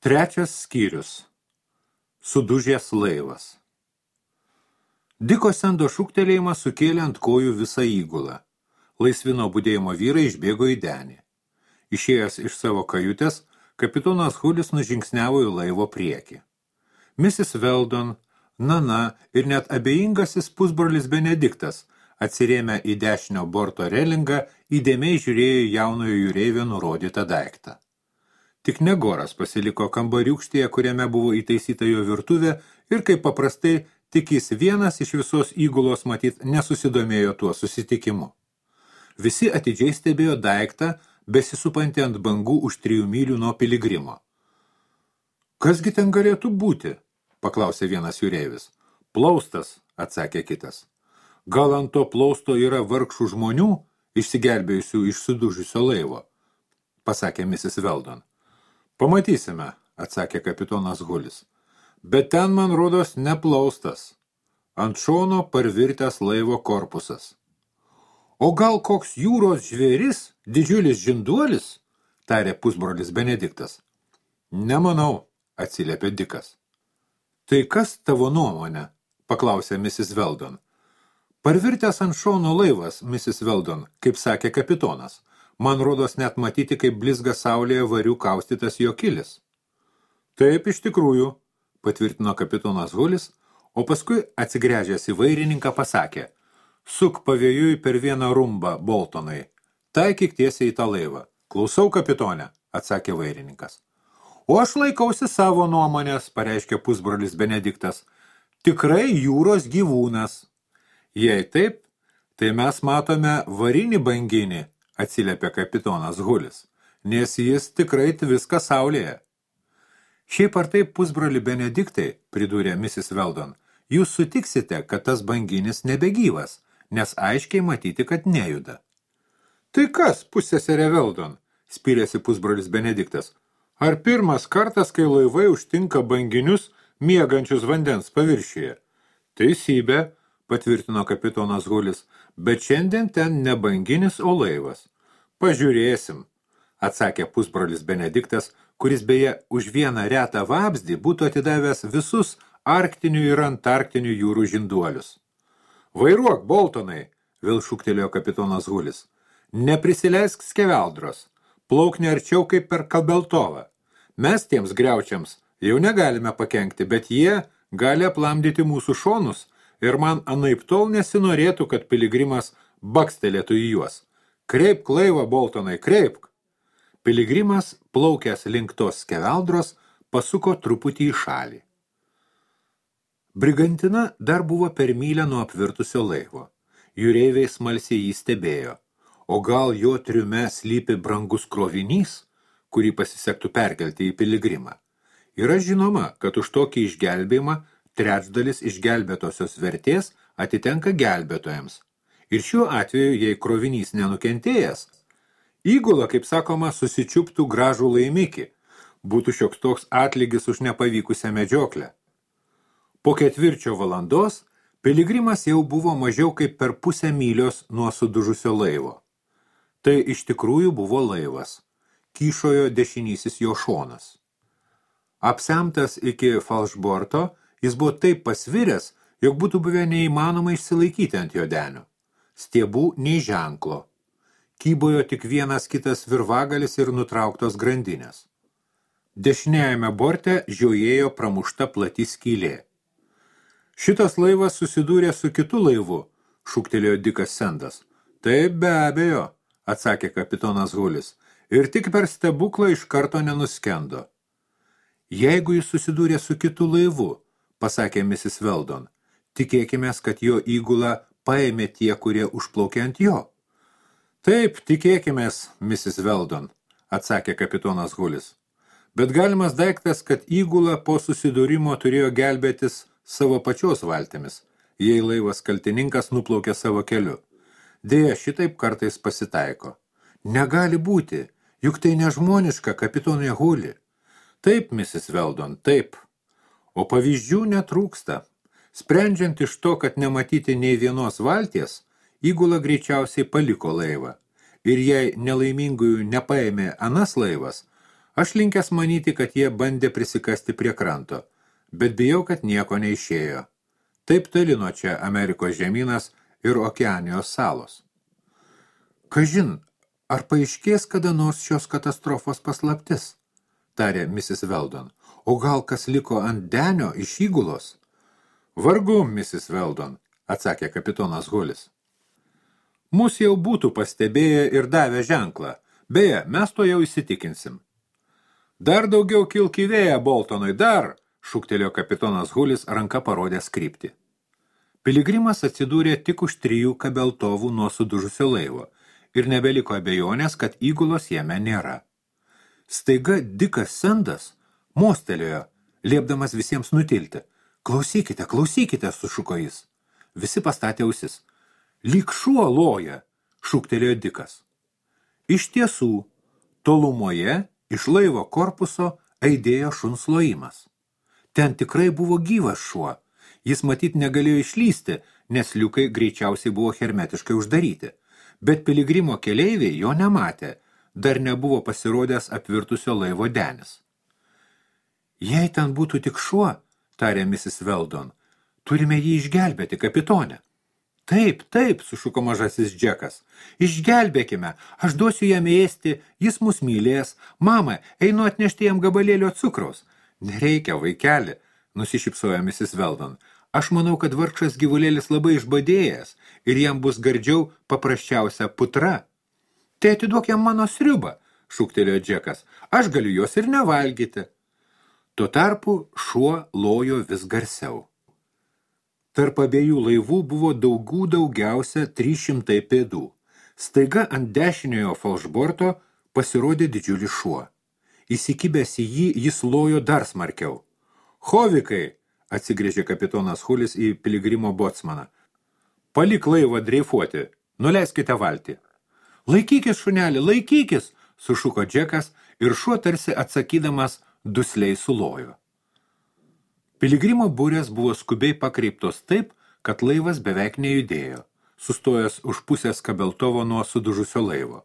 Trečias skyrius. Sudužęs laivas. Diko Sendo šūktelėjimas sukėlė ant kojų visą įgulą. Laisvino budėjimo vyrai išbėgo į denį. Išėjęs iš savo kajutės, kapitonas Hulis nužingsniavo į laivo priekį. Mrs. Weldon, Nana ir net abejingasis pusbrolis Benediktas, atsirėmę į dešinio borto relingą, įdėmiai žiūrėjo jaunojo jūreivio nurodytą daiktą. Tik Negoras pasiliko kambariūkštėje, kuriame buvo įtaisyta jo virtuvė ir kaip paprastai tik jis vienas iš visos įgulos matyt nesusidomėjo tuo susitikimu. Visi atidžiai stebėjo daiktą, besisupantį ant bangų už 3 mylių nuo Piligrimo. Kasgi ten galėtų būti? Paklausė vienas jūreivis. Plaustas, atsakė kitas. Gal ant to plausto yra vargšų žmonių, išsigelbėjusių iš sudužusio laivo? Pasakė Mrs. Weldon. Pamatysime, atsakė kapitonas Hulis. Bet ten, man rodos, neplaustas. Ant šono parvirtęs laivo korpusas. O gal koks jūros žvėris, didžiulis žinduolis? Tarė pusbrolis Benediktas. Nemanau, atsiliepė Dikas. Tai kas tavo nuomonė? Paklausė Mrs. Weldon. Parvirtęs ant šono laivas, Mrs. Weldon, kaip sakė kapitonas. Man rodos net matyti, kaip blizga saulėje varių kaustytas jo kilis. Taip, iš tikrųjų, patvirtino kapitonas Hulis, o paskui atsigręžęs į vairininką pasakė, suk pavėjui per vieną rumbą, Boltonai, taikyk tiesiai į tą laivą. Klausau, kapitone, atsakė vairininkas. O aš laikausi savo nuomonės, pareiškė pusbrolis Benediktas. Tikrai jūros gyvūnas. Jei taip, tai mes matome varinį banginį, atsiliepė kapitonas Hulis, nes jis tikrai viską saulėje. Šiaip ar taip, pusbroli Benediktai, pridūrė Mrs. Weldon, jūs sutiksite, kad tas banginis nebegyvas, nes aiškiai matyti, kad nejuda. Tai kas, pusseserė Weldon, spyrėsi pusbrolis Benediktas, ar pirmas kartas, kai laivai užtinka banginius miegančius vandens paviršiuje? Teisybė, patvirtino kapitonas Hulis, bet šiandien ten ne banginis, o laivas. Pažiūrėsim, atsakė pusbrolis Benediktas, kuris beje už vieną retą vabzdį būtų atidavęs visus arktinių ir antarktinių jūrų žinduolius. Vairuok, Boltonai, vėl šūktelėjo kapitonas Hulis. Neprisileisk skeveldros, plauk nearčiau kaip per Kabeltovą. Mes tiems griaučiams jau negalime pakenkti, bet jie gali aplamdyti mūsų šonus ir man anaiptol nesinorėtų, kad Piligrimas bakstelėtų į juos. Kreipk laivą, Boltonai, kreipk. Piligrimas, plaukęs link tos skeveldros, pasuko truputį į šalį. Brigantina dar buvo per mylę nuo apvirtusio laivo. Jūreiviai smalsiai jį stebėjo. O gal jo triume slypi brangus krovinys, kurį pasisektų perkelti į Piligrimą? Yra žinoma, kad už tokį išgelbėjimą trečdalis išgelbėtosios vertės atitenka gelbėtojams. Ir šiuo atveju, jei krovinys nenukentėjęs, įgula, kaip sakoma, susičiuptų gražų laimikį, būtų šioks toks atlygis už nepavykusią medžioklę. Po 4 valandos Piligrimas jau buvo mažiau kaip per 0,5 mylios nuo sudužusio laivo. Tai iš tikrųjų buvo laivas, kyšojo dešinysis jo šonas. Apsemtas iki falšborto, jis buvo taip pasviręs, jog būtų buvę neįmanoma išsilaikyti ant jo denio. Stiebų nei ženklo. Kybojo tik vienas kitas virvagalis ir nutrauktos grandinės. Dešiniajame borte žiojėjo pramušta plati skylė. Šitas laivas susidūrė su kitu laivu, šūktelėjo Dikas Sendas. Taip, be abejo, atsakė kapitonas Hulis, ir tik per stebuklą iš karto nenuskendo. Jeigu jis susidūrė su kitu laivu, pasakė Mrs. Weldon, tikėkimės, kad jo įgula paėmė tie, kurie užplaukė ant jo. Taip, tikėkimės, Mrs. Weldon, atsakė kapitonas Hulis. Bet galimas daiktas, kad įgula po susidūrimo turėjo gelbėtis savo pačios valtimis, jei laivas kaltininkas nuplaukė savo keliu. Deja, šitaip kartais pasitaiko. Negali būti, juk tai nežmoniška, kapitonė Huli. Taip, Mrs. Weldon, taip. O pavyzdžių netrūksta. Sprendžiant iš to, kad nematyti nei vienos valties, įgula greičiausiai paliko laivą. Ir jei nelaimingųjų nepaėmė anas laivas, Aš linkęs manyti, kad jie bandė prisikasti prie kranto, bet bijau, kad nieko neišėjo. Taip toli nuo čia Amerikos žemynas ir Okeanijos salos. Kažin, ar paaiškės kada nors šios katastrofos paslaptis, tarė Mrs. Weldon. O gal kas liko ant denio iš įgulos? Vargu, Mrs. Weldon, atsakė kapitonas Hulis. Mus jau būtų pastebėję ir davę ženklą. Beje, mes to jau įsitikinsim. Dar daugiau kilk į vėją, Boltonui, dar, šūktelėjo kapitonas Hulis, ranka parodęs kryptį. Piligrimas atsidūrė tik už 3 kabeltovų nuo sudužusio laivo ir nebeliko abejonės, kad įgulos jame nėra. Staiga Dikas Sendas mostelėjo, liepdamas visiems nutilti. Klausykite, klausykite, sušuko jis. Visi pastatė ausis. Lyg šuo loja, šūktelėjo Dikas. Iš tiesų, tolumoje iš laivo korpuso aidėjo šuns lojimas. Ten tikrai buvo gyvas šuo. Jis matyt negalėjo išlysti, nes liukai greičiausiai buvo hermetiškai uždaryti. Bet piligrimo keleiviai jo nematė, dar nebuvo pasirodęs apvirtusio laivo denis. Jei ten būtų tik šuo, tarė Mrs. Weldon, turime jį išgelbėti, kapitone. Taip, taip, sušuko mažasis Džekas. Išgelbėkime, aš duosiu jam ėsti, jis mus mylės. Mama, einu atnešti jam gabalėlio cukraus. Nereikia, vaikeli, nusišypsojo Mrs. Weldon. Aš manau, kad vargšas gyvulėlis labai išbadėjęs ir jam bus gardžiau paprasčiausia putra. Tai atiduok jam mano sriubą, šūktelėjo Džekas. Aš galiu jos ir nevalgyti. Tuo tarpu šuo lojo vis garsiau. Tarp abiejų laivų buvo daugiausia 300 pėdų. Staiga ant dešiniojo falšborto pasirodė didžiulis šuo. Įsikibęs į jį, jis lojo dar smarkiau. Hovikai, atsigrėžė kapitonas Hulis į piligrimo botsmaną. Palik laivą dreifuoti, nuleiskite valtį. Laikykis, šunelį, laikykis, sušuko Džekas ir šuo tarsi atsakydamas dusliai sulojo. Piligrimo burės buvo skubiai pakreiptos taip, kad laivas beveik nejudėjo, sustojęs už pusės kabeltovo nuo sudužusio laivo.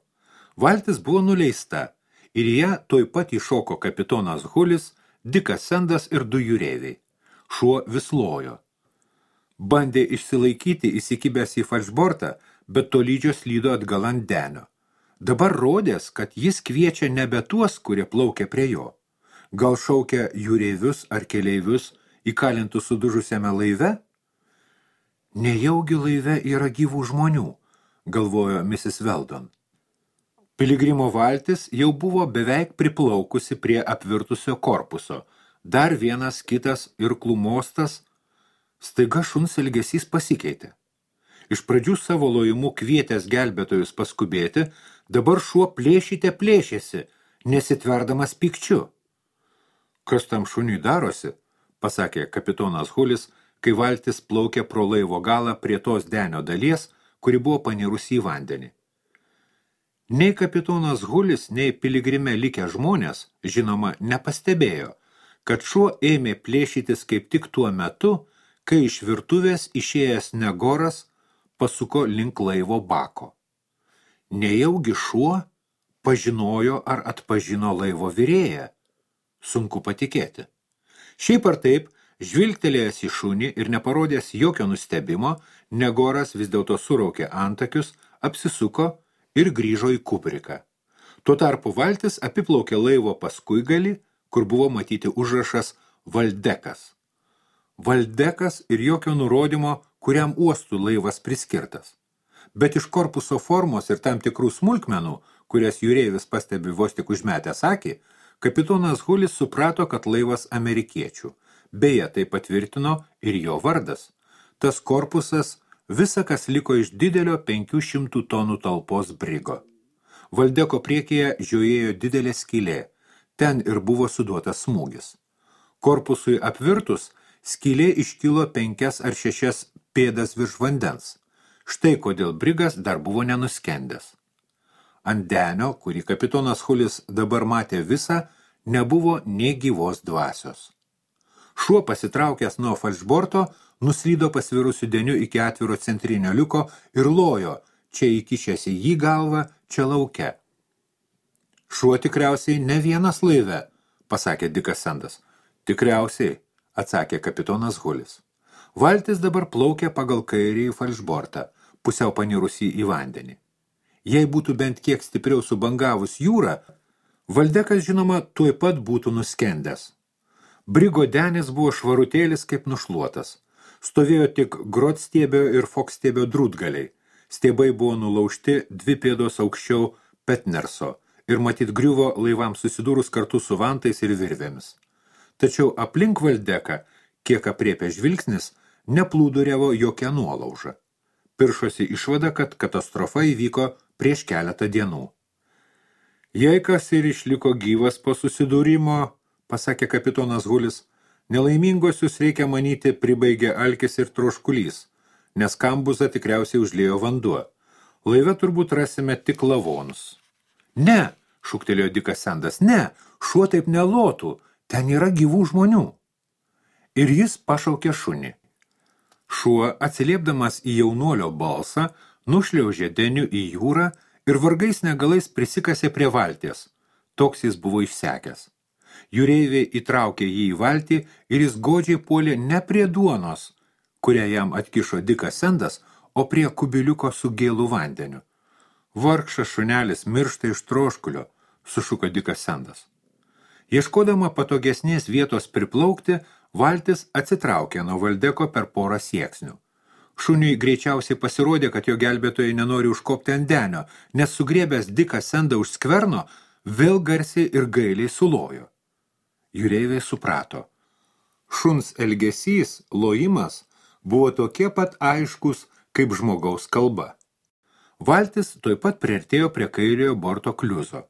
Valtis buvo nuleista ir ją tuoj pat įšoko kapitonas Hulis, Dikas Sendas ir 2 jūreiviai. Šuo vis lojo. Bandė išsilaikyti įsikibęs į falšbortą, bet tolydžio slydo atgal ant denio. Dabar rodės, kad jis kviečia nebe tuos, kurie plaukia prie jo. Gal šaukia jūreivius ar keleivius įkalintus sudužusiame laive? Nejaugi laive yra gyvų žmonių, galvojo Mrs. Weldon. Piligrimo valtis jau buvo beveik priplaukusi prie apvirtusio korpuso. Dar vienas, kitas ir klumostas. Staiga šuns elgesys pasikeitė. Iš pradžių savo lojimu kvietęs gelbėtojus paskubėti, dabar šuo plėšėsi, nesitverdamas pykčiu. Kas tam šuniui darosi, pasakė kapitonas Hulis, kai valtis plaukė pro laivo galą prie tos denio dalies, kuri buvo panirusi į vandenį. Nei kapitonas Hulis, nei piligrime likę žmonės, žinoma, nepastebėjo, kad šuo ėmė plėšytis kaip tik tuo metu, kai iš virtuvės išėjęs Negoras pasuko link laivo bako. Nejaugi šuo pažinojo ar atpažino laivo virėją? Sunku patikėti. Šiaip ar taip, žvilgtelėjęs į šunį ir neparodęs jokio nustebimo, Negoras vis dėlto suraukė antakius, apsisuko ir grįžo į kubriką. Tuo tarpu valtis apiplaukė laivo paskuigalį, kur buvo matyti užrašas Valdekas. Valdekas ir jokio nurodymo, kuriam uostų laivas priskirtas. Bet iš korpuso formos ir tam tikrų smulkmenų, kurias jūreivis pastebi vos tik užmetęs akį, kapitonas Hulis suprato, kad laivas amerikiečių. Beje, tai patvirtino ir jo vardas. Tas korpusas visa, kas liko iš didelio 500 tonų talpos brigo. Valdeko priekyje žiojėjo didelė skylė. Ten ir buvo suduotas smūgis. Korpusui apvirtus, skylė iškilo 5 ar 6 pėdas virš vandens. Štai kodėl brigas dar buvo nenuskendęs. Ant denio, kurį kapitonas Hulis dabar matė visą, nebuvo nė gyvos dvasios. Šuo pasitraukęs nuo falšborto, nuslydo pasvirusiu deniu iki atviro centrinio liuko ir lojo, čia įkišęs į jį galvą, čia lauke. Šuo tikriausiai ne vienas laive, pasakė Dikas Sendas. Tikriausiai, atsakė kapitonas Hulis. Valtis dabar plaukė pagal kairįjį falšbortą, pusiau panirusį į vandenį. Jei būtų bent kiek stipriau subangavus jūrą, Valdekas, žinoma, tuoj pat būtų nuskendęs. Brigo denis buvo švarutėlis kaip nušluotas. Stovėjo tik grotstiebio ir fokstiebio drūtgaliai. Stiebai buvo nulaužti 2 pėdos aukščiau Petnerso ir matyt griuvo laivams susidūrus kartu su vantais ir virvėmis. Tačiau aplink Valdeką, kiek apriepė žvilgsnis, neplūduriavo jokia nuolauža. Piršosi išvada, kad katastrofa įvyko prieš keletą dienų. Jei kas ir išliko gyvas po susidūrimo, pasakė kapitonas Hulis, nelaimingosius reikia manyti pribaigė alkis ir troškulys, nes kambuzą tikriausiai užliejo vanduo. Laive turbūt rasime tik lavonus. Ne, šūktelėjo Dikas Sendas, ne, šuo taip nelotų, ten yra gyvų žmonių. Ir jis pašaukė šunį. Šuo, atsiliepdamas į jaunuolio balsą, nušliaužė deniu į jūrą ir vargais negalais prisikasė prie valties. Toks jis buvo išsekęs. Jūreiviai įtraukė jį į valtį ir jis godžiai puolė ne prie duonos, kurią jam atkišo Dikas Sendas, o prie kubiliuko su gėlų vandeniu. Vargšas šunelis miršta iš troškulio, sušuko Dikas Sendas. Ieškodama patogesnės vietos priplaukti, valtis atsitraukė nuo Valdeko per porą sieksnių. Šuniui greičiausiai pasirodė, kad jo gelbėtojai nenori užkopti ant denio, nes sugriebęs Diką Sendą už skverno, vėl garsiai ir gailiai sulojo. Jūreiviai suprato. Šuns elgesys, lojimas, buvo tokie pat aiškus, kaip žmogaus kalba. Valtis tuoj pat priartėjo prie kairiojo borto kliuzo.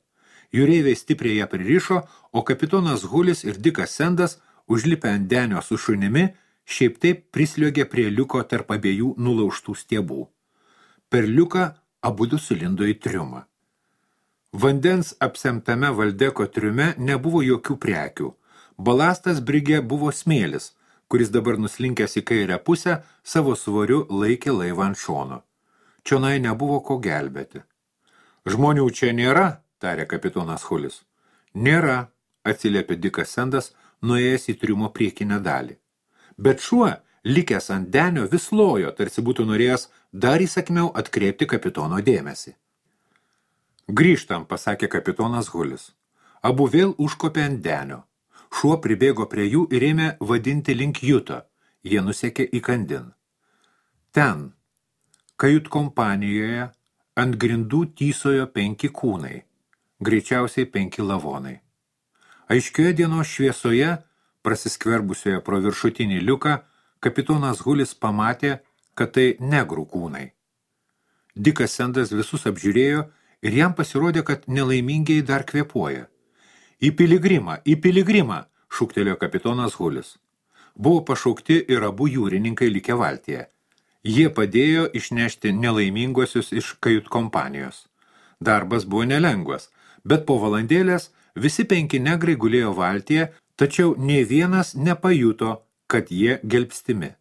Jūreiviai stipriai ją pririšo, o kapitonas Hulis ir Dikas Sendas, užlipę ant denio su šunimi, šiaip taip prisliogė prie liuko tarp abiejų nulaužtų stiebų. Per liuką abudu sulindo į triumą. Vandens apsemtame Valdeko triume nebuvo jokių prekių. Balastas brige buvo smėlis, kuris dabar nuslinkęs į kairę pusę, savo svoriu laikė laivą ant šono. Čionai nebuvo ko gelbėti. Žmonių čia nėra, tarė kapitonas Hulis. Nėra, atsiliepė Dikas Sendas, nuėjęs į triumo priekinę dalį. Bet šuo, likęs ant denio, vis lojo, tarsi būtų norėjęs dar įsakmiau atkreipti kapitono dėmesį. Grįžtam, pasakė kapitonas Hulis. Abu vėl užkopė ant denio. Šuo pribėgo prie jų ir ėmė vadinti link juto. Jie nusekė į kandin. Ten, kajut kompanijoje, ant grindų tysojo 5 kūnai, greičiausiai 5 lavonai. Aiškioje dienos šviesoje, prasiskverbusioje pro viršutinį liuką, kapitonas Hulis pamatė, kad tai negrų kūnai. Dikas Sendas visus apžiūrėjo ir jam pasirodė, kad nelaimingiai dar kvėpuoja. Į piligrimą, šūktelėjo kapitonas Hulis. Buvo pašaukti ir abu jūrininkai likę valtyje. Jie padėjo išnešti nelaiminguosius iš kajut kompanijos. Darbas buvo nelengvas, bet po valandėlės visi 5 negrai gulėjo valtyje, tačiau nė vienas nepajuto, kad jie gelbstimi.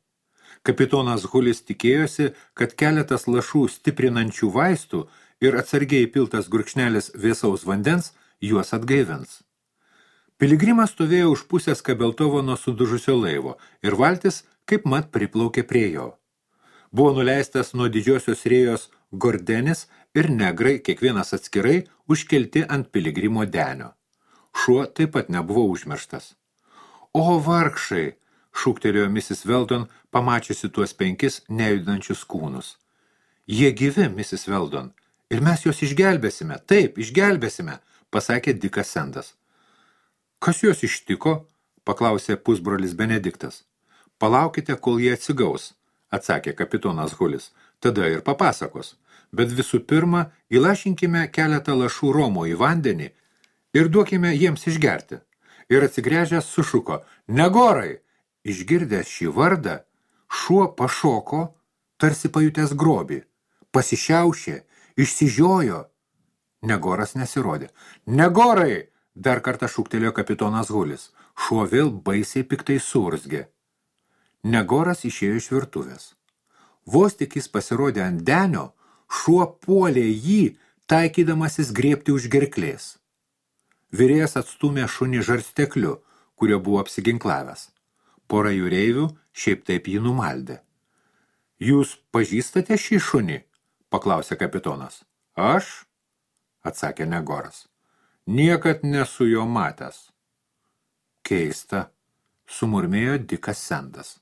Kapitonas Hulis tikėjosi, kad keletas lašų stiprinančių vaistų ir atsargiai piltas gurkšnelis vėsaus vandens juos atgaivins. Piligrimas stovėjo už pusės Kabeltovo nuo sudužusio laivo ir valtis kaip mat priplaukė prie jo. Buvo nuleistas nuo didžiosios rėjos gordenis ir negrai, kiekvienas atskirai, užkelti ant piligrimo denio. Šuo taip pat nebuvo užmirštas. O vargšai, šūktelėjo Mrs. Weldon, pamačiusi tuos 5 nejudančius kūnus. Jie gyvi, Mrs. Weldon, ir mes juos išgelbėsime, taip, išgelbėsime, pasakė Dikas Sendas. Kas juos ištiko? Paklausė pusbrolis Benediktas. Palaukite, kol jie atsigaus, atsakė kapitonas Hulis, tada ir papasakos. Bet visų pirma, įlašinkime keletą lašų romo į vandenį ir duokime jiems išgerti. Ir atsigręžęs sušuko, Negorai! Išgirdęs šį vardą, šuo pašoko, tarsi pajutęs grobį, pasišiaušė, išsižiojo. Negoras nesirodė. Negorai! Dar kartą šūktelėjo kapitonas Hulis. Šuo vėl baisiai piktai suurzgė. Negoras išėjo iš virtuvės. Vos tik jis pasirodė ant denio, šuo puolė jį, taikydamasis griebti už gerklės. Virėjas atstūmė šunį žarstekliu, kurio buvo apsiginklavęs. Pora jūreivių šiaip taip jį numaldė. Jūs pažįstate šį šunį? Paklausė kapitonas. Aš? Atsakė Negoras. Niekad nesu jo matęs. Keista, sumurmėjo Dikas Sendas.